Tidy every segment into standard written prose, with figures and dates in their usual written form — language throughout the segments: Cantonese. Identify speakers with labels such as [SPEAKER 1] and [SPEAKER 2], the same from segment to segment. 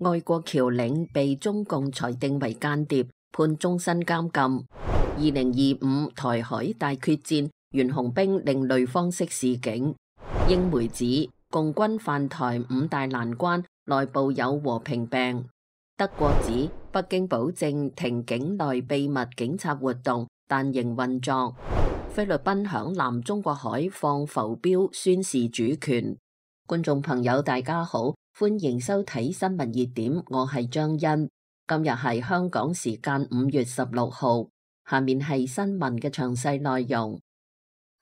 [SPEAKER 1] 愛國僑領被中共裁定為間諜，判終身監禁。2025台海大決戰，袁洪兵另類方式示警。英媒指共軍犯台5大難關，內部有和平病。德國指北京保證停境內秘密警察活動，但仍運作。菲律賓響南中國海放浮標宣示主權。觀眾朋友大家好，歡迎收睇新聞熱點，我係張欣。今日係香港時間5月16號，下面係新聞嘅詳細內容。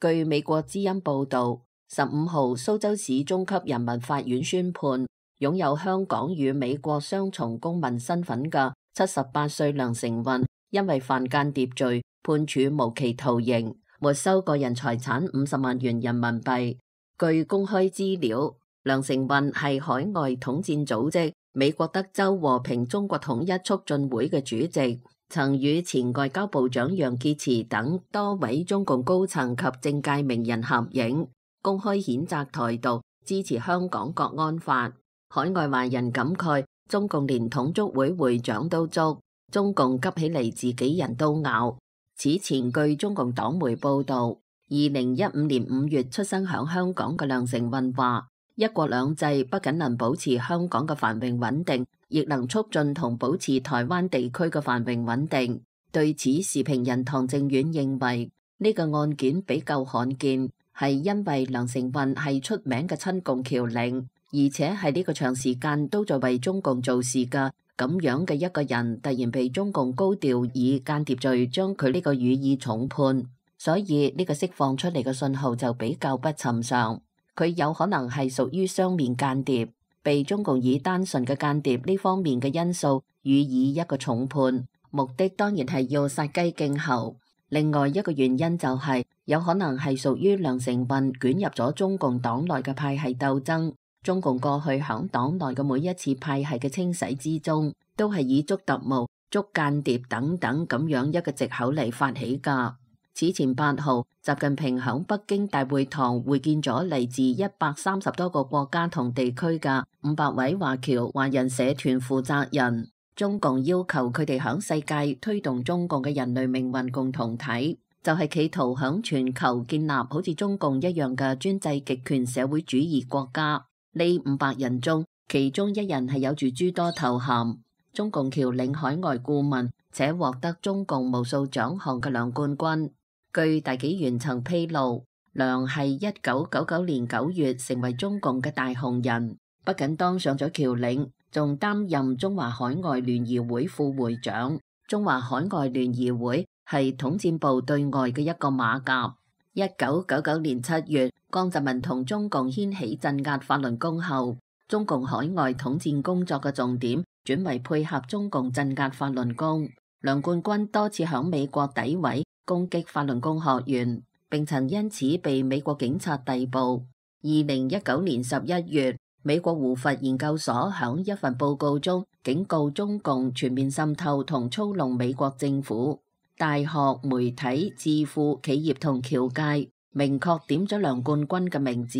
[SPEAKER 1] 據美國之音報道，15號蘇州市中級人民法院宣判，擁有香港與美國雙重公民身份嘅78歲梁成運，因為犯間諜罪，判處無期徒刑，沒收個人財產50萬元人民幣。據公開資料，梁成運係海外統戰組織美國德州和平中國統一促進會嘅主席，曾與前外交部長楊潔篪等多位中共高層及政界名人合影，公開譴責台獨，支持香港國安法。海外華人感慨，中共連統促會會長都捉，中共急起嚟自己人都咬。此前據中共黨媒報道，2015年5月出生響香港嘅梁成運話，一國兩制不僅能保持香港嘅繁榮穩定，亦能促進同保持台灣地區嘅繁榮穩定。對此，時評人唐正遠認為呢個案件比較罕見，係因為梁成運係出名嘅親共僑領，而且係呢個長時間都在為中共做事嘅咁樣嘅一個人，突然被中共高調以間諜罪將佢呢個予以重判，所以呢個釋放出嚟嘅信號就比較不尋常。佢有可能係屬於雙面間諜，被中共以單純嘅間諜呢方面嘅因素予以一個重判，目的當然係要殺雞儆猴。另外一個原因就係有可能係屬於梁成運捲入咗中共黨內嘅派系鬥爭。中共過去響黨內嘅每一次派系嘅清洗之中，都係以捉特務、捉間諜等等咁樣一個藉口嚟發起噶。此前8號，習近平響北京大會堂會見咗嚟自130多個國家同地區嘅500位華僑華人社團負責人。中共要求佢哋響世界推動中共嘅人類命運共同體，就係企圖響全球建立好似中共一樣嘅專制極權社會主義國家。呢500人中，其中1人係有住諸多頭銜，中共僑領海外顧問，且獲得中共無數獎項嘅梁冠軍。據大紀元曾披露，梁係1999年9月成為中共嘅大紅人，不僅當上咗僑領，仲擔任中華海外聯誼會副會長。中華海外聯誼會係統戰部對外嘅一個馬甲。1999年7月，江澤民同中共掀起鎮壓法輪功後，中共海外統戰工作嘅重點轉為配合中共鎮壓法輪功。梁冠軍多次響美國詆毀攻擊法輪功學員，並曾因此被美國警察逮捕。2019年11月，美國胡佛研究所響一份報告中警告中共全面滲透同操弄美國政府。大學、媒體、智庫、企業同僑界明確點咗梁冠軍嘅名字，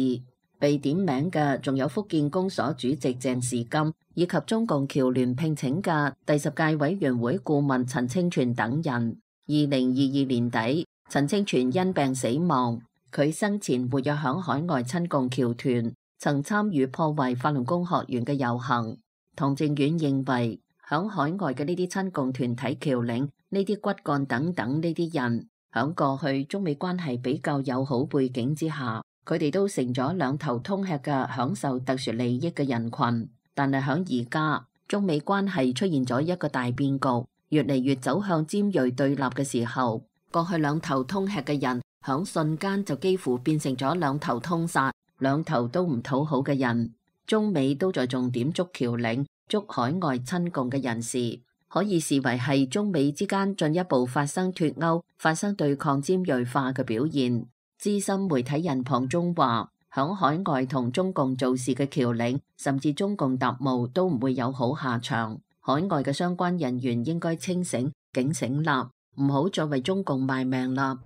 [SPEAKER 1] 被點名嘅仲有福建公所主席鄭時金，以及中共僑聯聘請嘅第10屆委員會顧問陳清泉等人。2022年底，陳清泉因病死亡。佢生前活躍響海外親共僑團，曾參與破壞法輪功學員嘅遊行。唐正遠認為，響海外嘅呢啲親共團體僑領，呢啲骨幹等等呢啲人，響過去中美關係比較友好背景之下，佢哋都成咗兩頭通吃嘅享受特殊利益嘅人群。但係響而家中美關係出現咗一個大變局，越嚟越走向尖銳對立嘅時候，過去兩頭通吃嘅人，響瞬間就幾乎變成咗兩頭通殺，兩頭都唔討好嘅人。中美都在重點捉僑領、捉海外親共嘅人士，可以視為係中美之間進一步發生脫鈎、發生對抗尖銳化嘅表現。資深媒體人龐中話，響海外同中共做事嘅僑領，甚至中共特務都唔會有好下場。海外嘅相關人員應該清醒、警醒啦，唔好再為中共賣命啦。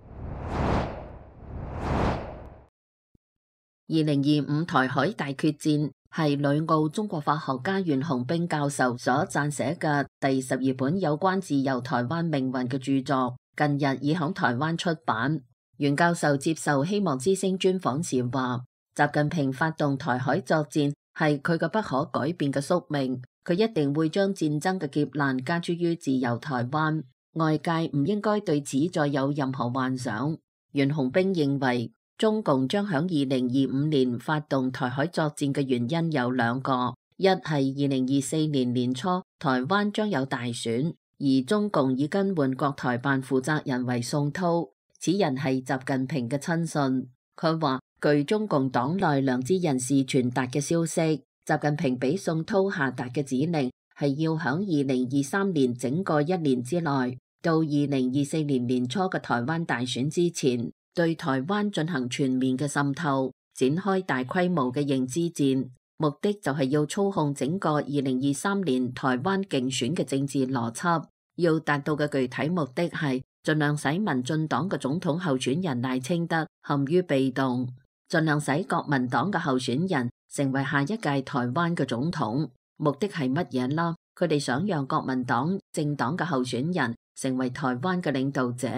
[SPEAKER 1] 2025台海大決戰，係旅澳中國法學家袁雄冰教授所撰寫嘅第12本有關自由台灣命運嘅著作，近日已響台灣出版。袁教授接受希望之聲專訪時話，習近平發動台海作戰係佢嘅不可改變嘅宿命，佢一定會將戰爭嘅劫難加諸於自由台灣，外界唔應該對此再有任何幻想。袁雄冰認為，中共將響2025年發動台海作戰嘅原因有兩個，一係2024年年初台灣將有大選，而中共已更換國台辦負責人為宋濤，此人係習近平嘅親信。佢話，據中共黨內良知人士傳達嘅消息，習近平俾宋濤下達嘅指令係要響2023年整個一年之內，到2024年年初嘅台灣大選之前，對台灣進行全面嘅滲透，展開大規模嘅認知戰，目的就係要操控整個2023年台灣競選嘅政治邏輯。要達到嘅具體目的係盡量使民進黨嘅總統候選人賴清德陷於被動，盡量使國民黨嘅候選人成為下一屆台灣嘅總統。目的係乜嘢啦？佢哋想讓國民黨政黨嘅候選人成為台灣嘅領導者，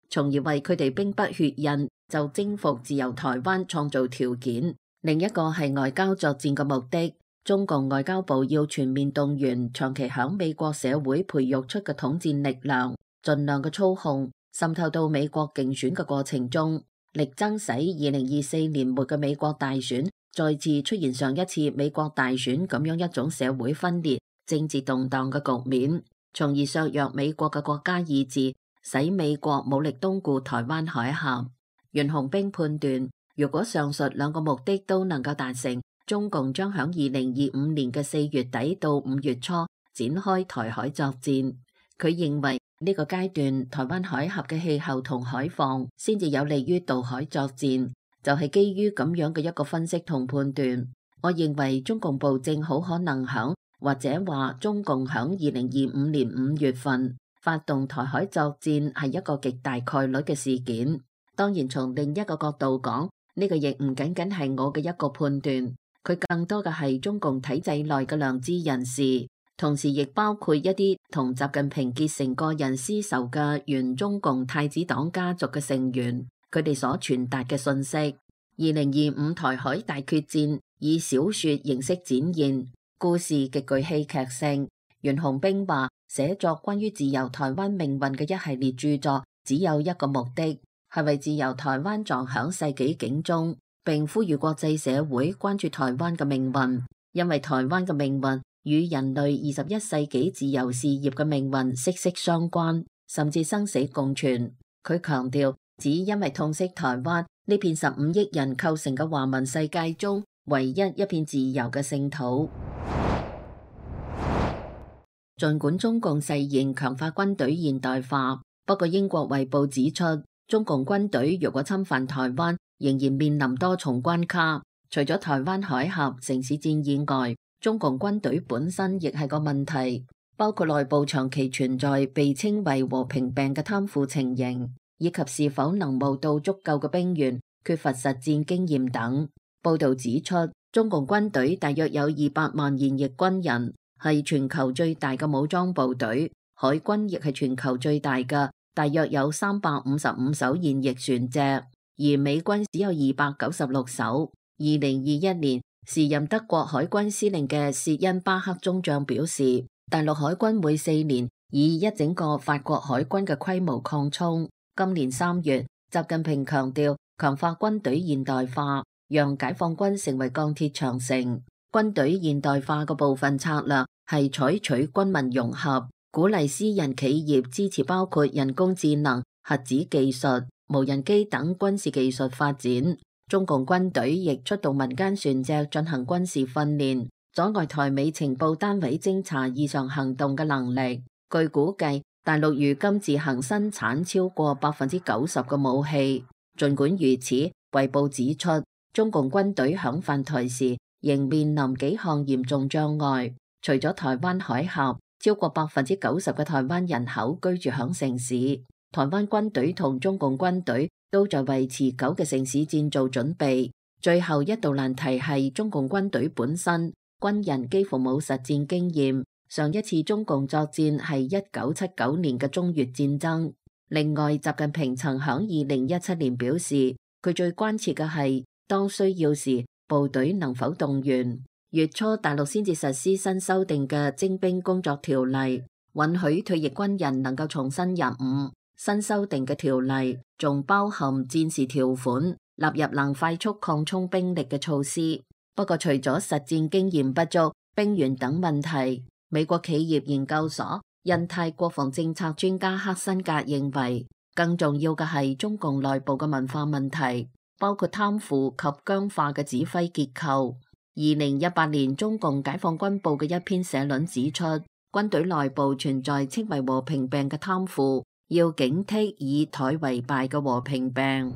[SPEAKER 1] 從而為佢哋兵不血刃就征服自由台灣創造條件。另一個係外交作戰嘅目的，中共外交部要全面動員長期響美國社會培育出嘅統戰力量，盡量嘅操控滲透到美國競選嘅過程中，力爭使2024年末嘅美國大選再次出現上一次美國大選咁樣一種社會分裂、政治動盪嘅局面，從而削弱美國嘅國家意志，使美國武力東顧台灣海峽。袁雄冰判斷，如果上述兩個目的都能夠達成，中共將響2025年嘅4月底到5月初展開台海作戰。佢認為呢個階段台灣海峽嘅氣候同海況先至有利於渡海作戰，就係基於咁樣嘅一個分析同判斷。我認為中共部正好可能響，或者話中共響2025年5月份發動台海作戰係一個極大概率嘅事件。當然從另一個角度講，呢個亦唔僅僅係我嘅一個判斷，佢更多嘅係中共體制內嘅良知人士，同時亦包括一啲同習近平結成個人私仇嘅原中共太子黨家族嘅成員，佢哋所傳達嘅信息。2025台海大決戰以小說形式展現，故事極具戲劇性。袁雄冰話，寫作關於自由台灣命運嘅一系列著作，只有一個目的，係為自由台灣撞響世紀警鐘，並呼籲國際社會關注台灣嘅命運，因為台灣嘅命運與人類21世紀自由事業嘅命運息息相關，甚至生死共存。佢強調，只因為痛惜台灣呢片15億人構成嘅華文世界中唯一一片自由嘅聖土。儘管中共誓言強化軍隊現代化，不過英國衛報指出，中共軍隊如果侵犯台灣，仍然面臨多重關卡。除咗台灣海峽城市戰以外，中共軍隊本身亦係個問題，包括內部長期存在被稱為和平病嘅貪腐情形，以及是否能募到足夠嘅兵員、缺乏實戰經驗等。報道指出，中共軍隊大約有200萬現役軍人，係全球最大嘅武裝部隊，海軍亦係全球最大嘅，大約有355艘現役船隻，而美軍只有296艘。2021年，時任德國海軍司令嘅薛恩巴克中將表示，大陸海軍每4年以一整個法國海軍嘅規模擴充。今年3月，習近平強調強化軍隊現代化，讓解放軍成為鋼鐵長城。軍隊現代化嘅部分策略係採取軍民融合，鼓勵私人企業支持包括人工智能、核子技術、無人機等軍事技術發展。中共軍隊亦出動民間船隻進行軍事訓練，阻礙台美情報單位偵查異常行動嘅能力。據估計，大陸如今自行生產超過90%嘅武器。儘管如此，衛報指出，中共軍隊響犯台時仍面臨幾項嚴重障礙。除咗台灣海峽，超過90%嘅台灣人口居住響城市。台灣軍隊同中共軍隊都在為持久嘅城市戰做準備。最後一道難題係中共軍隊本身，軍人幾乎冇實戰經驗。上一次中共作戰係1979年嘅中越戰爭。另外，習近平曾響2017年表示，佢最關切嘅係當需要時部隊能否動員。月初大陸先至實施新修訂嘅徵兵工作條例，允許退役軍人能夠重新入伍。新修訂嘅條例仲包含戰時條款，納入能快速擴充兵力嘅措施。不過除咗實戰經驗不足、兵源等問題，美國企業研究所印太國防政策專家克辛格認為，更重要嘅係中共內部嘅文化問題，包括貪腐及僵化嘅指揮結構。2018年中共解放軍報嘅一篇社論指出，軍隊內部存在稱為和平病嘅貪腐，要警惕以殆為敗嘅和平病。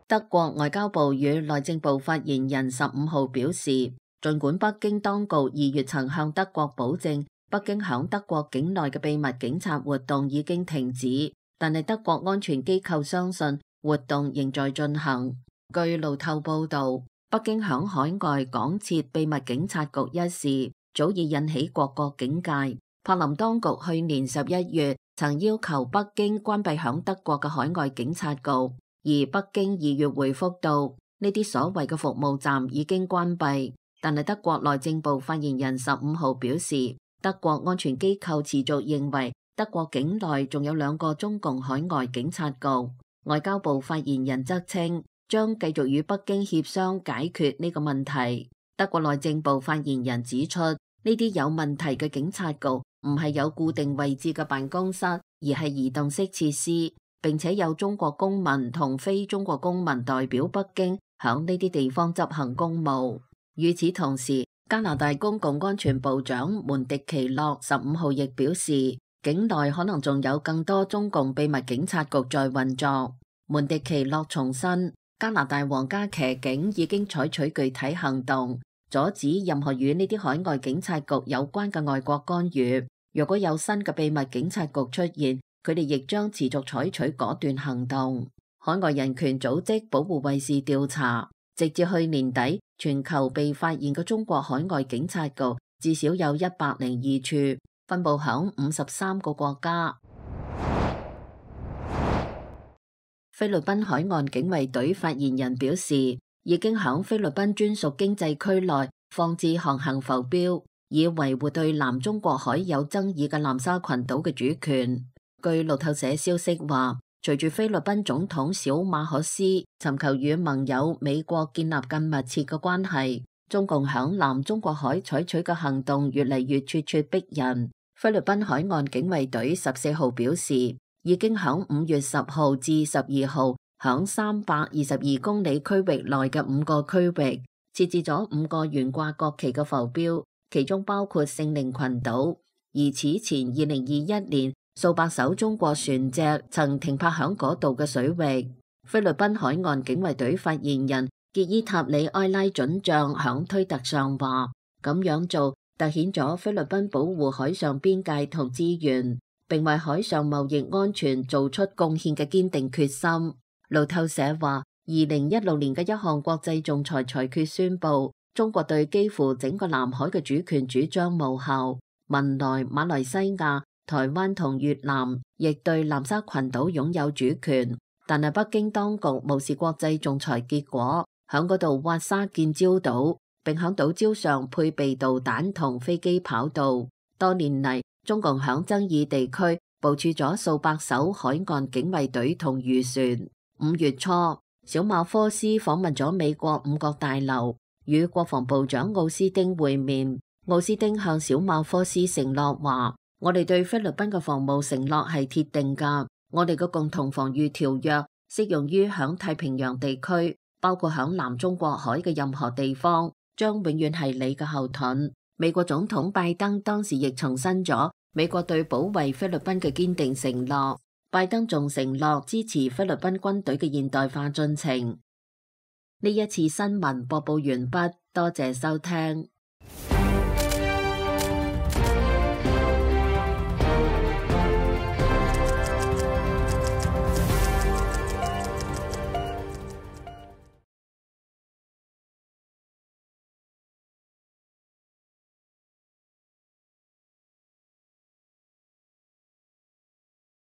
[SPEAKER 1] 德國外交部與內政部發言人15號表示，儘管北京當局2月曾向德國保證，北京響德國境內嘅秘密警察活動已經停止，但係德國安全機構相信活動仍在進行。據路透報道，北京響海外廣設秘密警察局一事早已引起各國警戒。柏林當局去年11月曾要求北京關閉響德國嘅海外警察局，而北京2月回覆到呢啲所謂嘅服務站已經關閉。但係德國內政部發言人15號表示，德國安全機構持續認為德國境內仲有2個中共海外警察局。外交部發言人則稱，將繼續與北京協商解決呢個問題。德國內政部發言人指出，呢啲有問題嘅警察局唔係有固定位置嘅辦公室，而係移動式設施，並且有中國公民同非中國公民代表北京響呢啲地方執行公務。與此同時，加拿大公共安全部長門迪奇諾15號亦表示，境內可能仲有更多中共秘密警察局在運作。門迪奇諾重申，加拿大皇家騎警已經採取具體行動，阻止任何與呢啲海外警察局有關嘅外國干預。如果有新嘅秘密警察局出現，佢哋亦將持續採取果斷行動。海外人權組織保護衛士調查，直至去年底，全球被發現嘅中國海外警察局至少有102處，分布響53個國家。菲律賓海岸警衛隊發言人表示，已經響菲律賓專屬經濟區內放置航行浮標，以維護對南中國海有爭議嘅南沙群島嘅主權。據路透社消息話，隨住菲律賓總統小馬可斯尋求與盟友美國建立更密切嘅關係，中共響南中國海採取嘅行動越嚟越咄咄逼人。菲律賓海岸警衛隊14號表示，已經響5月10號至12號響322公里區域內嘅5個區域設置咗5個懸掛國旗嘅浮標，其中包括聖靈群島。而此前2021年，數百艘中國船隻曾停泊響嗰度嘅水域。菲律賓海岸警衛隊發言人傑伊塔里埃拉准將響推特上話，咁樣做凸顯咗菲律賓保護海上邊界同資源，並為海上貿易安全做出貢獻嘅堅定決心。路透社話，2016年嘅一項國際仲裁裁決宣布，中國對幾乎整個南海嘅主權主張無效。文萊、馬來西亞、台灣同越南亦對南沙群島擁有主權，但係北京當局無視國際仲裁結果，響嗰度挖沙建礁島，並響島礁上配備導彈同飛機跑道。多年嚟，中共響爭議地區部署咗數百艘海岸警衛隊同漁船。5月初，小馬科斯訪問咗美國五角大樓，與國防部長奧斯汀會面。奧斯汀向小馬科斯承諾話，我哋對菲律賓嘅防務承諾係鐵定㗎，我哋嘅共同防禦條約適用於響太平洋地區，包括響南中國海嘅任何地方，將永遠係你嘅後盾。美國總統拜登當時亦重申咗美國對保衛菲律賓嘅堅定承諾。拜登仲承諾支持菲律賓軍隊嘅現代化進程。呢一次新聞播報完畢，多謝收聽。